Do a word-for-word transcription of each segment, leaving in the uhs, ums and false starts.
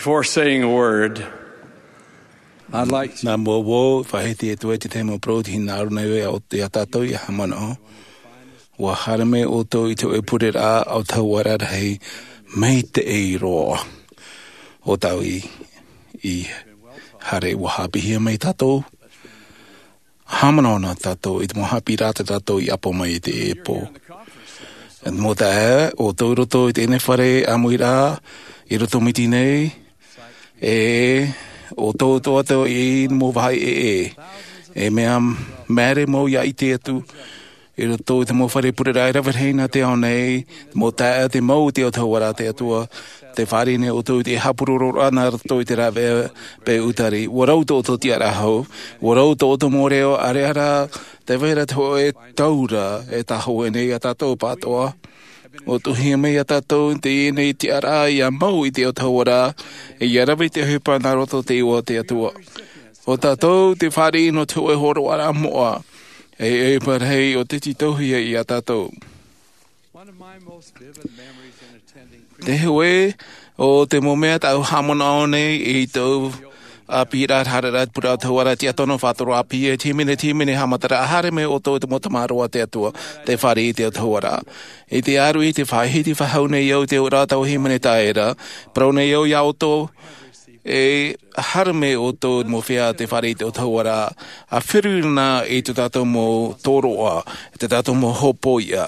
Before saying a word, I'd like to Nā mua vau, faʻahiti atu ai te tahi mau parau, te hinaʻaro nei au iā tātou ia haʻamanaʻo. ʻUa haere mai ʻoutou i te hōʻē pureraʻa ʻo te hauora rahi, maitaʻi roa. ʻO tāʻu i, i haere, ʻua haʻapiʻihia mai tātou. Haʻamanaʻo na tātou i te mau haʻapiʻiraʻa tā tātou i ʻapo mai i teie pō. E te mau taeaʻe, ʻoutou i roto i teie fare ʻāmuiraʻa, i Rotomiti nei, e ʻoutou atoʻa i te mau vāhi ʻē, e mea māere mau ia ʻite atu, i roto i te mau fare pureraʻa e rave rahi nā te ao nei, te mau taeaʻe, te mau i te autahuʻaraʻa a te Atua, tē fāriʻi nei ʻoutou i te haʻapurororaʻa nā roto i te rāveʻa peʻe ʻutari. ʻUa rau tō ʻoutou tiʻaraʻa hou, ʻua rau tō ʻoutou mau reo, ʻaore rā, tē vai ra te hōʻē taura e tāhōʻē nei iā tātou pāʻatoʻa. ʻUa tuʻuhia mai iā tātou teie nei tiʻaraʻa ʻia mau i te autahuʻaraʻa, ʻia rave i te ʻohipa nā roto i te iʻoa o te Atua. ʻO tātou tē fāriʻi nō te hōʻē hōroʻaraʻa moʻa, e ʻohipa rahi ʻo tē tītauhia iā tātou. One of my most vivid memories in attending Te hōʻē o te mau mea tāʻu haʻamanaʻo nei i tōʻu ʻāpīraʻa, haere ra te pureraʻa autahuʻaraʻa, tiʻa tōna faʻatoro ʻāpī, e te hīmene, te hīmene haʻamataraʻa, haere mai ʻoutou i te mau tamaroa a te Atua, tē fāriʻi i te autahuʻaraʻa. I te ʻāruʻi, tē faʻahiti faʻahou nei au i te auraʻa o tāʻu hīmene taʻata ra, parau nei au iā ʻoutou, e haere mai ʻoutou i te mau feiā tē fāriʻi i te autahuʻaraʻa, ʻa feruri na i tō tātou mau tōroʻa, i tō tātou mau hōpoiʻa,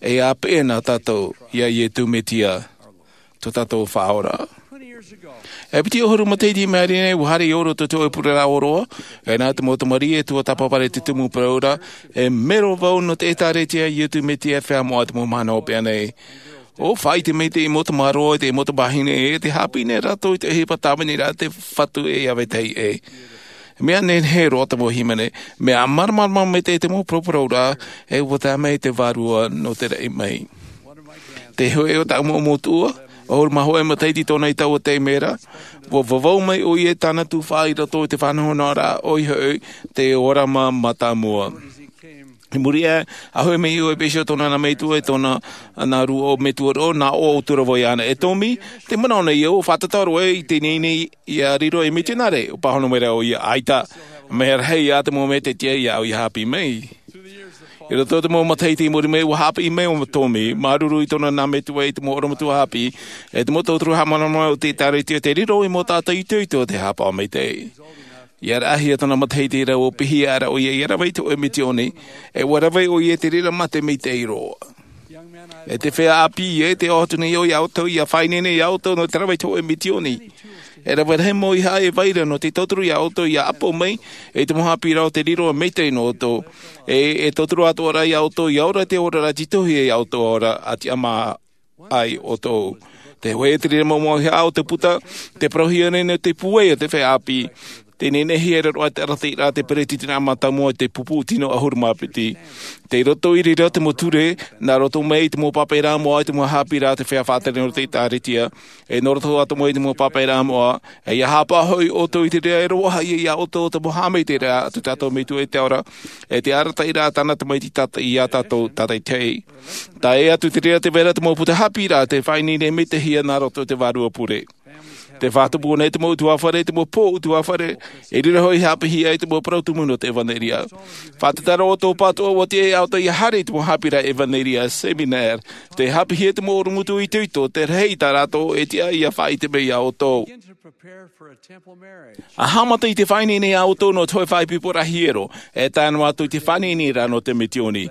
e ʻāpeʻe na tātou iā Iesu Mesia, tō tātou Faʻaora. E piti ʻahuru matahiti i maʻiri nei, ʻua haere au i roto i te hōʻē pureraʻa ʻōroʻa, e nā te mau tamariʻi e tuatāpaparaʻa i te tumu parau ra, e mero vau nō te ʻĒtārētia a Iesu Mesia, e feiā moʻa i te mau mahana hopeʻa nei. ʻUa faʻaʻite mai te mau tamaroa, te mau tamāhine, e tē haʻapiʻi nei rātou i te ʻohipa tāviniraʻa a te Fatu ʻe ʻia vetahi ʻē. Mea nehenehe roa te mau hīmene, mea māramarama maitaʻi te mau paraparau ra, e ʻua tae mai te Vārua nō te raʻi mai. Te hōʻē o tāʻu mau metua, ʻahuru mā hōʻē matahiti tōna i taua taime ra, ʻua vavau mai ʻoia i tāna tufaʻa i roto i te faʻanahonahoraʻa ʻoia hoʻi, te ʻōrama mātāmua. I muri aʻe, ʻa hoʻi mai ʻoia i pēsio tōna nā metua, e tōna nā rūʻau metua roa, nā ʻō ʻo Tūrava iāna. E Tomi, tē manaʻo nei au, ʻua fātata roa i teie nei ʻia riro ei mitionare, ʻua pāhono mai ra ʻoia, ʻaita, mea rahi ā te mau mea tē tiʻa iāʻu ʻia haʻapiʻi mai. I roto i te mau matahiti i muri mai, ʻua haʻapiʻi mai ʻo Tomi, māuruuru i tōna nā metua i te mau ʻorometua haʻapiʻi, e te mau tauturu haʻamāramarama o te ʻĒtārētia, tē riro i mau taʻata itoito tē haʻapaʻo maitaʻi. ʻIa raʻahia tōna matahiti ra, ʻua piʻihia ra ʻoia ʻia rave i te hōʻē misiōni, e ʻua rave ʻoia i te reira mā te maitaʻi roa. E te feiā ʻāpī ē, tē ʻoaʻoa atu nei au iā ʻoutou, ʻia faʻaineine iā ʻoutou nō te rave i te hōʻē misiōni. E rave rahi mau ʻeiaha e vai ra nō te tauturu iā ʻoutou ʻia ʻapo mai, e te mau haʻapiʻiraʻa o te riro maitaʻi nō ʻoutou. E, e tauturu atoʻa ra iā ʻoutou ʻia ora i te oraraʻa tītauhia iā ʻoutou ora, ʻa tiʻamā ai ʻoutou. Te hōʻē, te reira mau, mau ʻeiaha o te puta, tē parauhia nei nō te pūai o te feiā ʻāpī. Tē nehenehe e riro ʻoia i te arataʻiraʻa a te peretiteni mātāmua i te pupu tino ʻahuru mā piti. Tei roto i reira te mau ture, nā roto mai i te mau pāpaʻiraʻa moʻa, i te mau haʻapiʻiraʻa a te feiā faʻatere nō te ʻĒtārētia, e nō roto atoʻa mai i te mau pāpaʻiraʻa moʻa, e ʻia haʻapaʻo hoʻi ʻoutou i te reira e roaʻa iā ʻoutou te mau haʻamaitaʻiraʻa a tō tātou Metua i te ao ra, e te arataʻiraʻa a tāna Tamaiti tātaʻi iā tātou tātaʻitahi. Tae atu i te reira, tē vai ra te mau puta haʻapiʻiraʻa tē faʻaineine maitaʻihia nā roto i te Vārua Pure. Tē faʻatupu nei te mau ʻutuāfare, te mau pō ʻutuāfare, e riro hoʻi haʻapiʻihia i te mau parau tumu nō te ʻevanelia. Faʻatataro ʻoutou pāʻatoʻa, ʻua tiʻa iā ʻoutou ʻia haere i te mau haʻapiʻiraʻa ʻevanelia, seminare, tē haʻapiʻihia te mau ʻorometua itoito, tē rahi tā rātou e tiʻa ʻia faʻaʻite mai iā ʻoutou. ʻA haʻamata i te faʻaineine iā ʻoutou nō te hōʻē faʻaipoiporaʻa hiero, e tae noa atu i te faʻaineineraʻa nō te misiōni.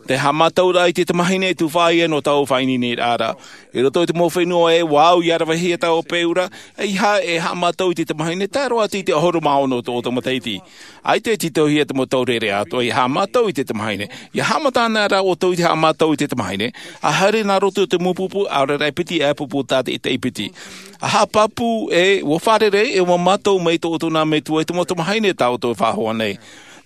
Te haʻamatauraʻa i te tamāhine e tufaʻa ia nō taua faʻaineineraʻa ra. I roto i te mau fenua ē, ʻua au ʻia ravehia taua peu ra, ʻeiaha e haʻamata i te tamāhine, tae roa atu i te ʻahuru mā ono o tō ʻoutou matahiti. ʻAita e tītauhia te mau taureʻareʻa atoʻa ʻia haʻamata i te tamāhine. ʻIa haʻamata ana rā ʻoutou i te haʻamata i te tamāhine, ʻa haere nā roto i te mau pupu, ʻaore rā e piti, ʻa pupu tātaʻitahi piti. ʻA haʻapāpū ē, ʻua fārerei, e ʻua mātau mai tō ʻoutou nā metua i te mau tamāhine tā ʻoutou e faʻahoʻi nei.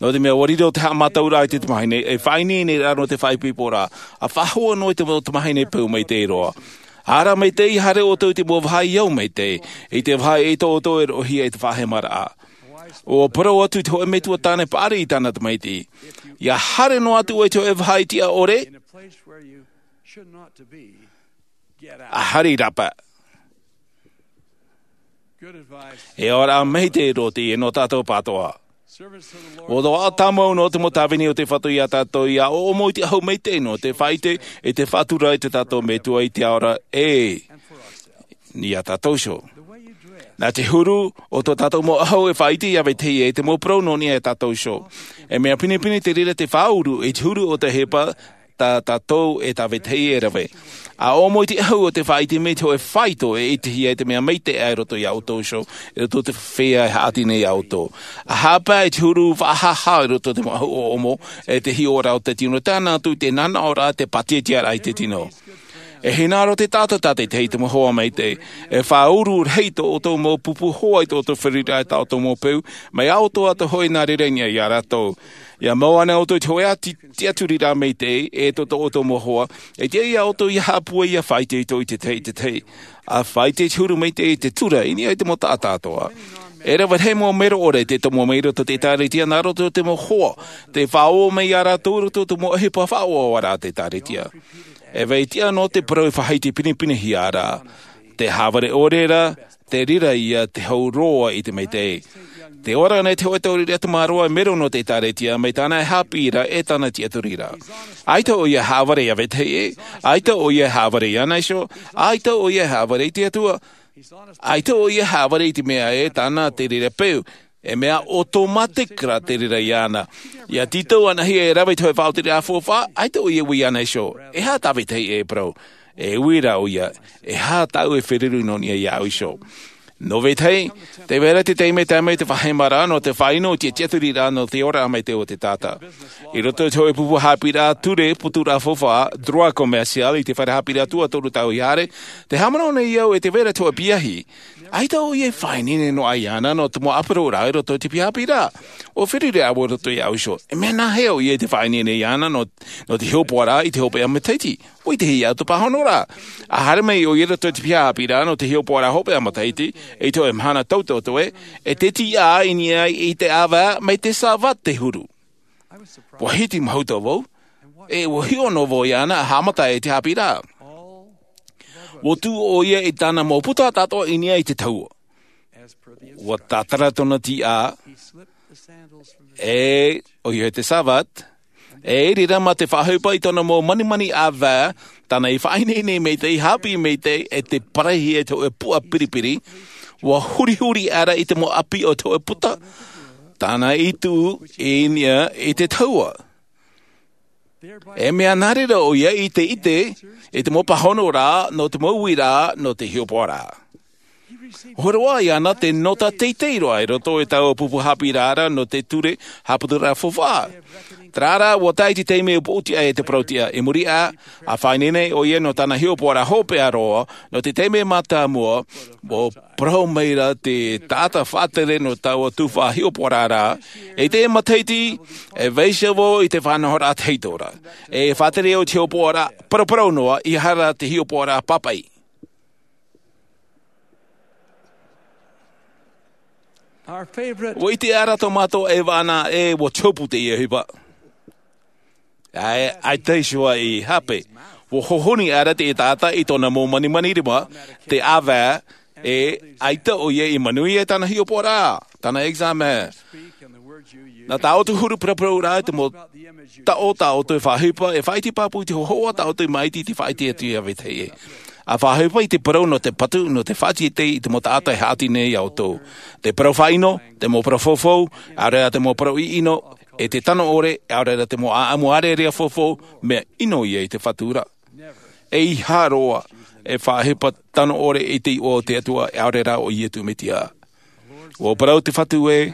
Nō te mea ʻua riro te haʻamatauraʻa i te tamāhine, e faʻaineine ra nō te faʻaipoiporaʻa, ʻa faʻahoʻi noa i te mau tamāhine peu maitaʻi roa. ʻA ara maitaʻi, haere ʻoutou i te mau vāhi i au maitaʻi, i te vāhi ʻeita ʻoutou e roʻohia i te faʻahemaraʻa. ʻUa parau atu te hōʻē metua tāne paʻari i tāna tamaiti. ʻIa haere noa atu ʻoe i te hōʻē vāhi tiʻa ʻore, ʻa haere i rāpae. E ora mai te roto i e nō tātou pātoʻa. O tō ʻaʻa tāmau nō te mau tāvini o te fatu iā tātou ia ʻoʻomo i te ahu mai te ino te faʻaite i te faʻatura i te tātou metua i te ora e iā tātou iho. Nā te huru o tō tātou mau ahu e faʻaite ia vetahi e te mau parau nō niʻa iā tātou iho. E mea pinepine te reira te faʻauru i te huru o te hepa tā tātou e tā vetahi e rave. A ʻoʻomo i te ahu o te faʻaite mai te hoʻe faito e itehia i te mea maitaʻi i roto iā ʻoutou iho i roto te fea e haʻati nei iā ʻoutou. A hāpaʻe i te huru faʻahaha i roto te mau ahu ʻoʻomo e te hiʻoraʻa o te tino tāna atu i te nanaʻoraʻa te pātietiaraʻa i te tino. E hinaʻaro te taʻata tā te tahi te mau hoa maitaʻi e faʻauru rahi tō ʻoutou mau pupu hoa i tō ʻoutou feruriraʻa i tā ʻoutou mau peu mai iā ʻoutou atoʻa hoʻi nā reira i niʻa iā rātou. Ia mau ana ʻoutou i te hoʻe tiʻaturiraʻa maitaʻi e tō tō ʻoutou mau hoa e tiʻa iā ʻoutou ia haʻapūai ia faʻaite ʻoutou i te tahi i te tahi. A faʻaite te huru maitaʻi i te tura i niʻa i te mau taʻata atoʻa. E rave rahi mau mero ʻore te tomo mai roto te ʻēkālesia nā roto te mau hoa te faʻaō mai iā rātou roto te mau ʻohipa faʻaoaoaraʻa te ʻēkālesia. E vai tiʻa nō te parau e faʻaite pinepinehia ra te hāvare ʻore ra te reira ia te hau roa i te maitaʻi. Te ora nei te hoʻe tauriri atu māroa e mero nō te ʻēkālesia mai tāna e haʻapiʻi ra e tāna tiʻaturiraʻa. ʻAita ʻoia e hāvare iā vetahi ʻē. ʻAita ʻoia e hāvare iāna iho. ʻAita ʻoia e hāvare i te atua. ʻAita ʻoia e hāvare i te mea ē tāna te reira peu. E mea ʻotomatika te reira iāna. Ia tītau anaʻe e rave i te hoʻe faʻaotiraʻa faufaʻa ʻaita ʻoia e ui iāna iho. E aha tā vetahi ʻē e parau? E ui rā ʻoia e aha tāʻu e feruri nō niʻa iāʻu iho? Nō vetahi te vai ra te taime e tae mai te faʻahemaraʻa nō te faʻaʻino i te tiʻaturiraʻa nō te ora maitaʻi o te taʻata. I roto i te hoʻe pupu haʻapiʻiraʻa ture puturaʻa faufaʻa droit commercial i te fare haʻapiʻiraʻa tuatoru tau i haere te haʻamanaʻo nei au e te vai ra te hoʻe piahi. ʻAita ʻoia e faʻaineine noa iāna nō te mau ʻāpiro rā i roto i te piahi haʻapiʻiraʻa. ʻO feruri au i roto iāʻu iho e mea nāhea ʻoia i te faʻaineine iāna nō te hiʻopoʻaraʻa i te hopeʻa matahiti? ʻUa ʻite iāʻu te pāhonoraʻa. A haere mai ʻoia i roto i te piahi haʻapiʻiraʻa nō te hiʻopoʻaraʻa hopeʻa matahiti i te hoʻe mahana tautoto ē e te tiʻa i niʻa i te ʻāvae mai te sāvate huru. ʻUa hiti mahuta vau. E ʻua hiʻo noa vau iāna a haʻamata i te haʻapiʻiraʻa. ʻUa tuʻu ʻoia i tāna mau puta atoʻa i niʻa i te tahua. ʻUa tātara tōna tiʻa e ʻoia te sāvate. E i reira mā te faʻaʻohipa i tōna mau manimani ʻāvae tāna i faʻaineine maitaʻi haʻapiʻi maitaʻi e te paraihi e te hoʻe puʻa piripiri. ʻUa hurihuri ʻara i te mau ʻapi o te hoʻe puta tāna i tuʻu i niʻa i te tahua. E mea nā reira ʻoia i te ʻite i te mau pāhonoraʻa nō te mau uiraʻa nō te hiʻopoʻaraʻa. Horoʻa iāna te nota teitei roa i roto i taua pupu haʻapiʻiraʻa nō te ture haʻaputuraʻa faufaʻa. Terā rā ʻua tae i te taime ʻua poʻotiʻa e te parau tiʻa i muri aʻe. A faʻaineine ʻoia nō tāna hiʻopoʻaraʻa hopeʻa roa nō te taime mātāmua. ʻUa parau mai ra te taʻata faʻatere nō taua tuhaʻa hiʻopoʻaraʻa i te matahiti. E vaiiho vau i te faʻanahoraʻa tahito ra e faʻatere au i te hiʻopoʻaraʻa paraparau noa i hara te hiʻopoʻaraʻa pāpaʻi. ʻUa ʻite ʻara tō mātou ʻeva ana e ʻua te hopu teie ʻohipa. ʻAita iho ā i hape ʻua hohoni ʻara te taʻata i tōna mau manimani rima te ʻāvae e ʻaita ʻoia i manuia i tāna hiʻopoʻaraʻa tāna examen. Nā tā ʻoutou huru paraparau rā i te mau taʻo tā ʻoutou e faʻaʻohipa e faʻaʻite pāpū i te hohoʻa tā ʻoutou i māʻiti i te faʻaʻite atu iā vetahi ʻē. A faʻaʻohipa i te parau nō te patu nō te faʻaʻite i te mau taʻata e haʻati nei iā ʻoutou. Te parau faʻaʻino te mau parau faufaʻa ʻaore rā te mau parau ʻiʻino e te tano ʻore ʻaore rā te mau ʻaʻamu ʻārearea faufaʻa mea ʻino ia i te fatu ra. E iha roa e faʻaʻohipa tano ʻore i te iʻoa o te atua ʻaore rā o iesu mesia. ʻUa parau te fatu ē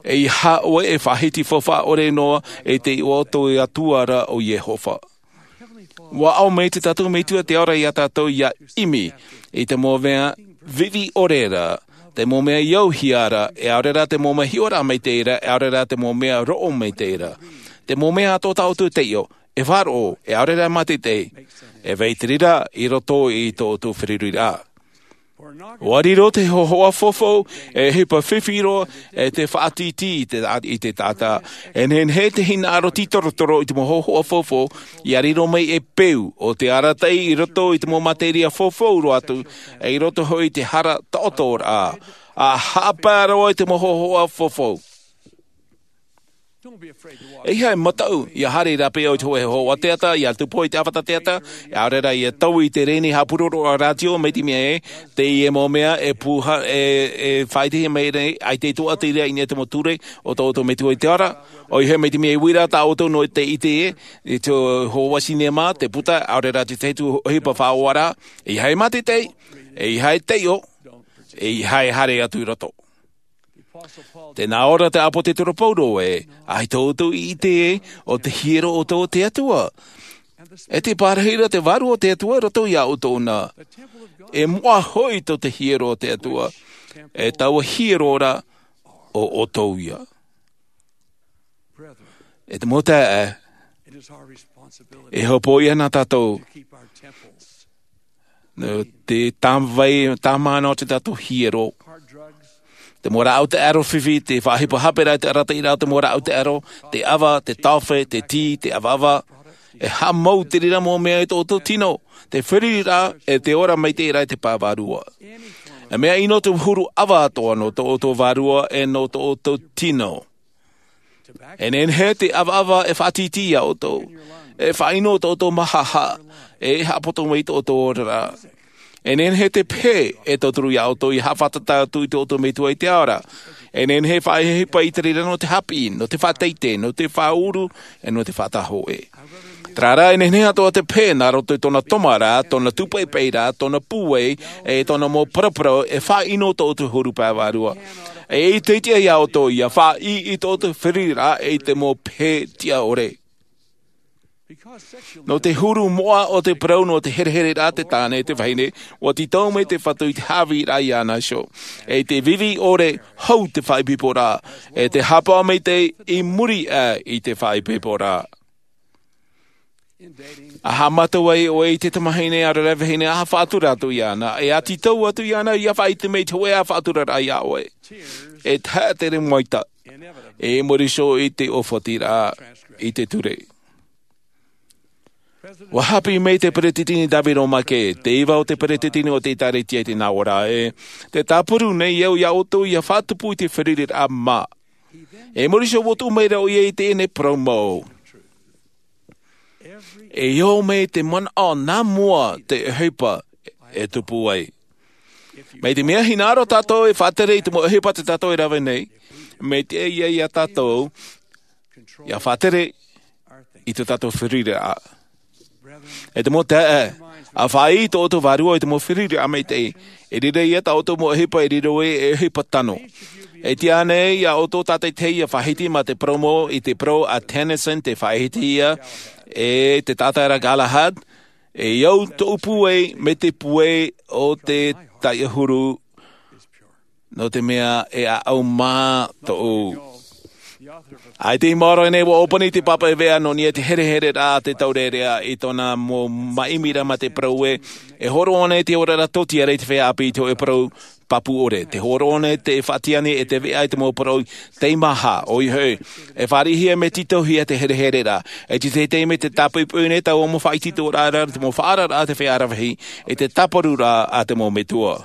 e iha ʻoe e faʻahiti faufaʻa ʻore noa i te iʻoa o te atua ra o iehova. ʻUa ʻau mai te tātou metua te ora iā tātou ia ʻimi i te mau mea vivi ʻore ra te mau mea i auhia ra ʻaore rā te mau mea hiʻoraʻa maitaʻi ra ʻaore rā te mau mea roʻo maitaʻi ra. Te mau mea atoʻa tā ʻoutou e taiʻo e faʻaroʻo ʻaore rā mātaʻitaʻi. E vai te reira i roto i tō ʻoutou feruriraʻa. Ua riro te hōhoʻa fofo e hipa fifi roa e te faʻatītī i te, i te taʻata. E nehenehe te hinaʻaro tītorotoro i te mau hōhoʻa fofo ia riro mai e peu o te arataʻi i roto i te mau materia fofo roa atu, e i roto hoʻi i te hara taʻoto rā a haʻapae roa i te mau hōhoʻa fofo. E ʻeiaha e mataʻu ia haere i rāpae i te hōhoʻa teata, ia tupu i te ʻāfata teata, ʻaore rā ia taui i te rēni haʻapuroroʻa rātio mai te mea ē, teie mau mea e pūhā e faʻaitehia mai nei ʻaita e tuʻatiraʻa i niʻa i te mau ture o tō ʻoutou metua i te ara. ʻOia hoʻi mai te mea e uira tā ʻoutou nō te ʻite ē i te hōhoʻa sinema, te puta, ʻaore rā te tahi atu ʻohipa faʻaora. ʻEiaha e mātete, ʻeiaha e taiʻo, ʻeiaha e haere atu i roto. Tē nā ʻō te ʻāpōsetolo Paulo ē, ʻaita ʻoutou i ʻite ē, ʻo te hiero ʻoutou o te Atua, e te pārahi ra te Vārua o te Atua i roto iā ʻoutou na. E moʻa hoʻi tō te hiero o te Atua, e taua hiero ra ʻo ʻoutou ia. E te mau taeaʻe, e hopoiʻa na tātou nō te tāmāʻa o te tātou hiero. Te mau rāʻau taʻero fifi, te faʻahipa hape ra, te arataʻi ra, te mau rāʻau taʻero, te ʻava, te taofe, te tī, te ʻavaʻava, e haʻamau te reira mau mea i tō ʻoutou tino, te feruriraʻa, e te ora maitaʻi ra i te pae vārua. E mea ʻino te huru ʻava atoʻa nō tō ʻoutou vārua e nō tō ʻoutou tino. E nehenehe te ʻavaʻava e faʻatītī iā ʻoutou, e faʻaʻino tō ʻoutou māhaʻahaʻa, e haʻapoto mai tō ʻoutou oraraʻa. E nehenehe te pehe e tauturu iā ʻoutou ia haʻafātata atu i tō ʻoutou metua i te ao ra. E nehenehe e faʻahipa i te reira nō te haʻapiʻi, nō te faʻateitei, nō te faʻaʻuru, e nō te faʻatahoʻe. Terā rā, e nehenehe atoʻa te pehe nā roto i tōna toma ra, tōna tūpaʻipaʻi ra, tōna pūai, e tōna mau paraparau, e faʻaʻino tō ʻoutou huru pae vārua. E ʻaita e tiʻa iā ʻoutou ia faʻaʻī i tō ʻoutou feruriraʻa i te mau pehe tiʻa ʻore. Nō te huru moʻa o te parau nō te herehereraʻa te tāne e te vahine, ua tītau mai te Fatu i te haʻavīraʻa iāna iho. E te vivi ʻore hau te faʻaipoiporaʻa, e te hapaʻo maitaʻi i muri aʻe i te faʻaipoiporaʻa. A haʻamata ai ʻoe i te tamahine ʻaore rā vahine, a faʻatura atu iāna, e a tītau atu iāna ia faʻaʻite mai i te hōʻē faʻaturaraʻa iā ʻoe. E tahaʻa te reira mau ʻaita, e muri iho i te ʻōfatiraʻa i te ture. Ua haʻapiʻi mai te Peretiteni David O. McKay, te iva o te Peretiteni o te ʻĒtārētia i te nā ora ē, tē tāparu nei au iā ʻoutou ia faʻatupu i te feruriraʻa mā. E muri iho ua tuʻu mai ra ʻoia i teie nei parau mau. E ʻō mai te manaʻo nā mua te ʻohipa e tupu ai. Mai te mea hinaʻaro tātou e faʻatere i te mau ʻohipa tā tātou e rave nei, mai te ʻai ia tātou ia faʻatere i tō tātou feruriraʻa. E te mau taeaʻe, a faʻaʻī tō ʻoutou vārua i te mau feruriraʻa maitaʻi, e riro ia tā ʻoutou mau ʻohipa e riro ē e ʻohipa tano. E tiʻa nei iā ʻoutou tātaʻitahi ia faʻahiti mā te parau mau i te parau a Tennyson, te faʻahiti ia e te taʻata ra Galahad, e au tōʻu pūai mai te pūai o te taiʻohuru, nō te mea e ʻāʻau mā tōʻu. ʻAita i maoro nei ua ʻōpani te pāpaʻi veʻa nō niʻa i te herehereraʻa a te taurearea i tōna mau māʻimiraʻa mā te parau ē, e hōroʻa nei te oraraʻa tōtiare i te feiā ʻāpī i te hōʻē parau pāpū ʻore. Tē hōroʻa nei te faʻatiʻa nei e te veʻa i te mau parau teimaha, ʻoia hoʻi, e fāriʻihia mea tītauhia te herehereraʻa. E te teitei mai te tāpoʻipoʻi nei taua mau faʻaitoitoraʻa ra, te mau faʻaararaʻa a te feiā rāveʻa, e te tāparuraʻa a te mau metua.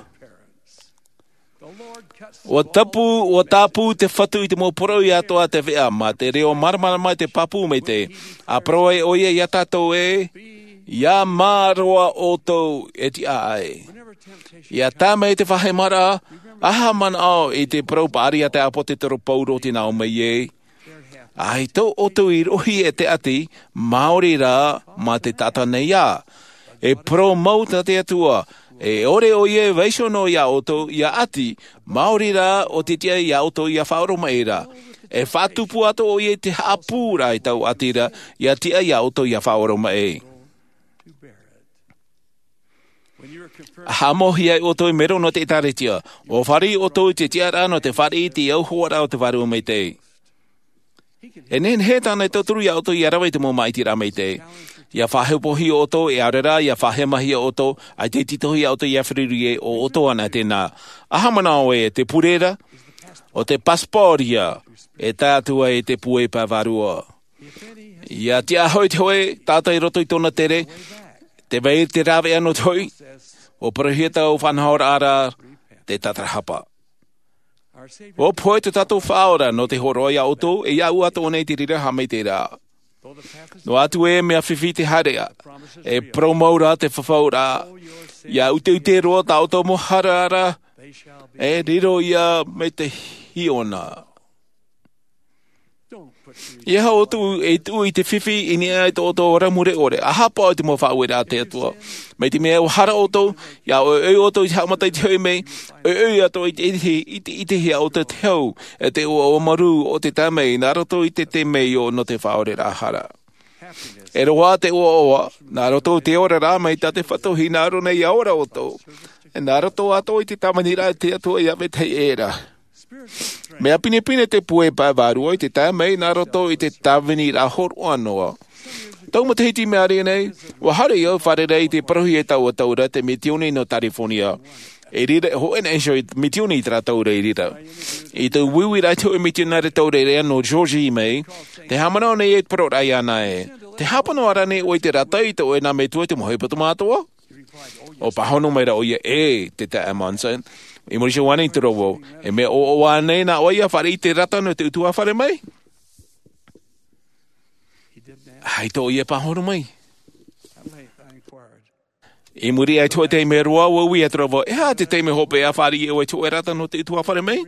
Ua tāpū, ua tāpū te Fatu i te mau poroʻi atoʻa a te veʻa, mā te reo māramarama i te pāpū maitaʻi. A parau ai ʻoia iā tātou ē, ia mā roa ʻoutou e tiʻa ai. Ia tae mai te faʻahemaraʻa, ʻaita e manaʻo i te parau paʻari a te ʻāpōsetolo Paulo tē nā ʻō mai ē, ʻAita ʻoutou i rohi e te ʻati, maori rā mā te taʻata nei ā. E parau mau tā te Atua, e ʻore ʻoia e vaiiho noa iā ʻoutou ia ʻati, maori rā ʻo te tiʻa iā ʻoutou ia faʻaoromaʻi ra. E faʻatupu atoʻa ʻoia i te haʻapū ra i taua ʻati ra, ia tiʻa iā ʻoutou ia faʻaoromaʻi. A haʻamauhia ai ʻoutou i mero nō te ʻĒtārētia, ʻua fāriʻi ʻoutou i te tiʻaraʻa nō te fāriʻi i te auhoaraʻa o te Vārua Maitaʻi. E nehenehe tāna e tauturu iā ʻoutou ia rave i te mau māʻitiraʻa maitaʻi. Ia faʻahepohia ʻoutou, e ʻaore rā ia faʻahemahia ʻoutou, ʻaita e tītauhia ʻoutou ia feruri ē, ʻo ʻoutou anaʻe tēnā. ʻA haʻamanaʻo ē, te pure ra, ʻo te pasipōri ïa, e tae atu ai te puai pae vārua. Ia tiʻa hoʻi te hōʻē taʻata i roto i tōna tere, tē vai ra te rāveʻa nō te hoʻi, ʻua parauhia taua faʻanahoraʻa ra, te tatarahapa. ʻUa pohe tō tātou Faʻaora nō te hōroʻa ia ʻoutou, e ia ʻoutou nei te reira haʻamaitaʻiraʻa. Noa atu ē mea fifi te haereʻa, e parau mau ra te fafauraʻa, ia ʻuteʻute roa tā ʻoutou mau hara ra, e riro ïa mai te hiona. ʻEiaha ʻoutou e tuʻu i te fifi i niʻa i tō ʻoutou ora mure ʻore, ʻa haʻapaʻo i te mau faʻaueraʻa a te Atua. Mai te mea ʻua hara ʻoutou, ia ʻoiʻoi ʻoutou i te haʻamata i te hoʻi mai, ʻoiʻoi atoʻa i te ʻite, i te ʻitehia ʻoutou te hau, e te ʻoaʻoa marū o te tae mai, nā roto i te tae mai ʻo nō te faʻaoreraʻa hara. E roaʻa te ʻoaʻoa, nā roto i te oraraʻa mai tā te Fatu hinaʻaro nei ia ora ʻoutou. E nā roto atoʻa i te tāviniraʻa a te Atua ia vetahi ʻē ra. Mea pinepine te puai pae vārua i te tae mai nā roto i te tāviniraʻa hōroʻa noa. Tau matahiti mea rave nei, ʻua haere au i fārerei i te parauhia e taua taura te misiōni nō Tarifōnia. I reira, hōʻē nei iho misiōni i terā taura i reira. I te uiuiraʻa i te hōʻē misionare taura i reira nō Georgia mai, tē haʻamanaʻo nei e te parau ra iāna ē. Tē hāpano ra ānei ʻoe i te rata i tō ʻoe nā metua i te mau ʻohipa tōmātoa? ʻUa pāhono mai ra ʻoia, ʻē, te taeaʻe Monson. I muri iho ānei i te rā vau, e mea ʻoaʻoa ānei nā ʻoe ia fāriʻi i te rata nō te ʻutuāfare mai? ʻAita ʻoia e pāhono mai. I muri aʻe i te hōʻē taime roa, ʻua ui atu ra vau, e aha te taime hopeʻa e fāriʻi ai ʻoe i te hōʻē rata nō te ʻutuāfare mai?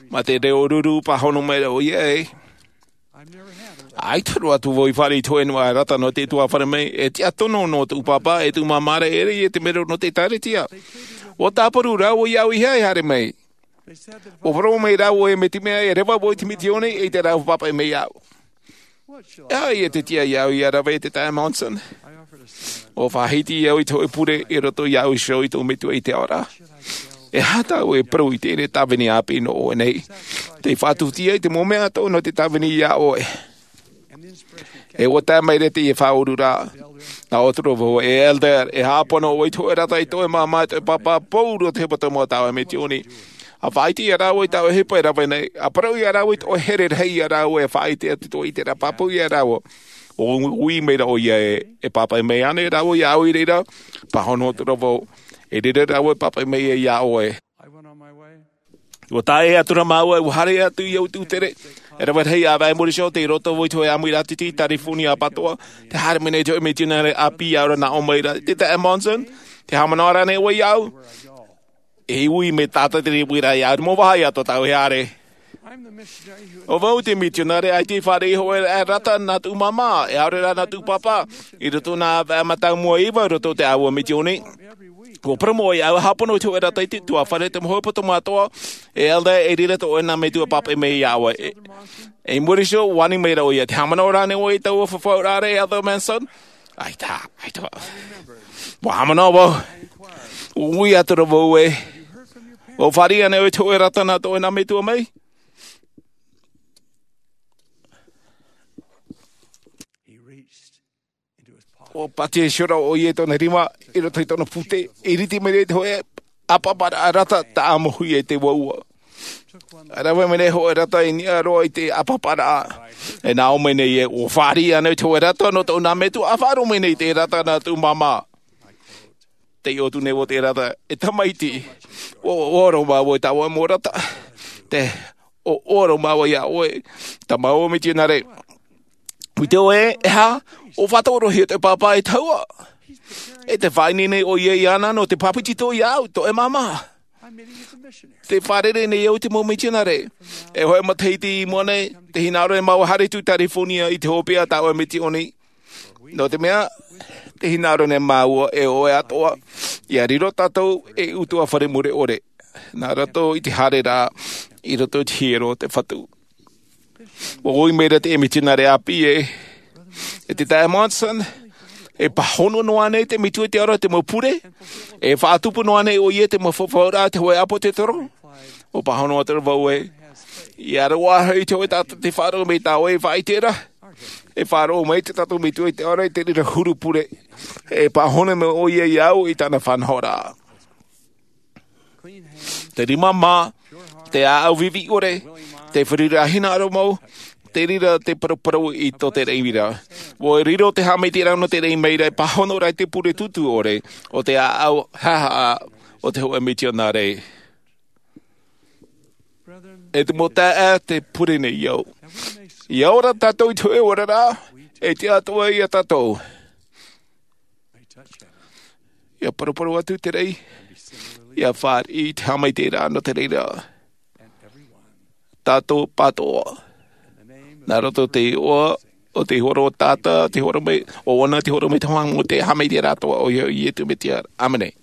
Mā te reo ruru pāhono mai ra ʻoia, ʻē. ʻAita roa atu vau i fāriʻi i te hōʻē noa rata nō te ʻutuāfare mai, e tiʻa tono nō tōʻu pāpā, e tōʻu māmā ra, e ʻere ïa te mero nō te ʻĒkālesia. ʻUa tāparu rāua iāʻu e haere mai. ʻUa parau mai rāua ē mai te mea e reva vau i te misiōni, ʻeita rāua pāpaʻi mai iāʻu. E aha ïa te tiʻa iāʻu ia rave, te taeaʻe Monson? ʻUa faʻahiti au i te hōʻē pure i roto iāʻu iho i tōʻu metua i te ao ra. E aha tāʻu e parau i teie tāvini ʻāpī nō ʻoe nei? Tē faʻatupu atu i te mau mea atoʻa nō te tāvini ia ʻoe. E ʻua tae mai ra teie faʻaururaʻa. Nā ʻō atu ra vau, e elder, e hāpano ʻoe i te hōʻē rata i tō ʻoe māmā, i tō ʻoe pāpā, pauroa te hōʻē pāpā mau a tāʻoe misiōni. ʻA faʻaʻite ia rāua i tā ʻoe ʻohipa e rave nei, ʻa parau ia rāua i tō ʻoe here rahi ia rāua e faʻaʻite atu i tō ʻoe ʻiteraʻa, pāpū ia rāua. ʻUa ui mai ra ʻoia ē, e pāpaʻi mai ānei rāua iāʻu i reira? Pāhono atu ra vau, e reira rāua e pāpaʻi mai ia ʻoe. ʻUa tae atu ra māua, ʻua haere atu i ʻō i te tere. E rave rahi ʻāvaʻe i muri iho, tei roto vau i te hōʻē ʻāmuiraʻa tītī i Tarifōnia ʻapatoʻa. Tē haere mai nei te hōʻē misionare ʻāpī iāʻu ra nā ʻō mai ra, te taeaʻe Monson, tē haʻamanaʻo ra ānei ʻoe iāʻu? E ui mai tātou te reira iāʻu, mau vahi atoʻa tāʻu e haere. ʻO vau te misionare ʻaita i fāriʻi i te hōʻē rata nā tōʻu māmā, e ʻaore rā nā tōʻu pāpā, i roto i nā ʻāvaʻe mātāmua e iva i roto i te ʻāua misiōni. ʻUa parau mai ʻoe iāʻu, hāpano i te hōʻē rata i te ʻutuāfare, te mau ʻohipa tōmātoa, e elder, e reira tō ʻoe nā metua e pāpaʻi mai ia ʻoe. E, e i muri iho, ʻua ani mai ra ʻoia, tē haʻamanaʻo ra ānei ʻoe i taua fafauraʻa ra, e elder Monson? ʻAita, ʻaita. ʻUa haʻamanaʻo vau. ʻUa ui atu ra vau ē. ʻUa fāriʻi ānei ʻoe i te hōʻē rata nā tō ʻoe nā metua mai? ʻUa pātia iho ra ʻoia i tōna rima, i roto i tōna pūtē, i rite mai ra i te hōʻē ʻāpaparaʻa rata, tāʻamohia i te vāua. ʻA rave mai nei hōʻē rata i niʻa roa i te ʻāpaparaʻa. E nā ʻō mai nei ē, ʻua fāriʻi ānei ʻoe i te hōʻē rata nō tōʻu nā metua, ʻa faʻaroʻo mai nei te rata nā tōʻu māmā. Tē ʻite atu nei vau te rata, e tamaiti, ʻua, ʻua ʻōroʻa māua i tā ʻoe mau rata. Tē, ʻua, ʻua ʻōroʻa māua iā ʻoe, tā māua mitionare. ʻUa ʻite ʻoe, e aha, ʻua faʻatorohia tō pāpā e tahua. E tē faʻaineine ʻoia iāna nō te pāpetito iāʻu, tō ʻoe māmā. Tē fārerei nei au i te mau mitionare. E hōʻē matahiti i mua nei, tē hinaʻaro nei māua e haere atu i Tarifōnia i te hopeʻa tā ʻoe misiōni. Nō te mea, tē hinaʻaro nei māua e ʻoe atoʻa, ʻia riro tātou ei ʻutuāfare mure ʻore, nā roto i te haereraʻa, i roto i te hiero o te Fatu. ʻUa ui mai ra te mitionare ʻāpī ē, e te taeaʻe Monson, e pāhono noa ānei te metua i te aro i te mau pure, e faʻatupu noa ānei ʻoia i te mau fafauraʻa a te hōʻē ʻāpōsetolo? ʻUa pāhono atu ra vau ē, ʻia roaʻa hoʻi te hōʻē taʻata tei faʻaroʻo mai i tā ʻoe faʻaʻiteraʻa. E faʻaroʻo mai te tātou metua i te ʻaore i te reira huru pure. E pāhono mai ʻo ia i au i tāna faʻanahoraʻa. Te rima mā, te ʻāʻau vivi ʻore, te fāriʻi hinaʻaro mau, te reira te paraparau i tō te reira. Ua riro te haʻamaitaʻiraʻa nō te reira mai ra e pāhono ra i te pure tūtū ʻore o te ʻāʻau haʻahaʻa o te hoʻe mitionare. E te mau taeaʻe, te pure nei au. Ia ora tātou i te hoʻe oraraʻa, e te atoʻa ia tātou. Ia paraparau atu te reira, ia fāriʻi te haʻamaitaʻiraʻa nō te reira. Tātou pātoʻa. Nā roto te iʻoa o te horo o tātou, te horo mai, o ʻoia te horo mai te hoang o te haʻamaitaʻiraʻa atoʻa ʻo ia i te mea. ʻĀmene.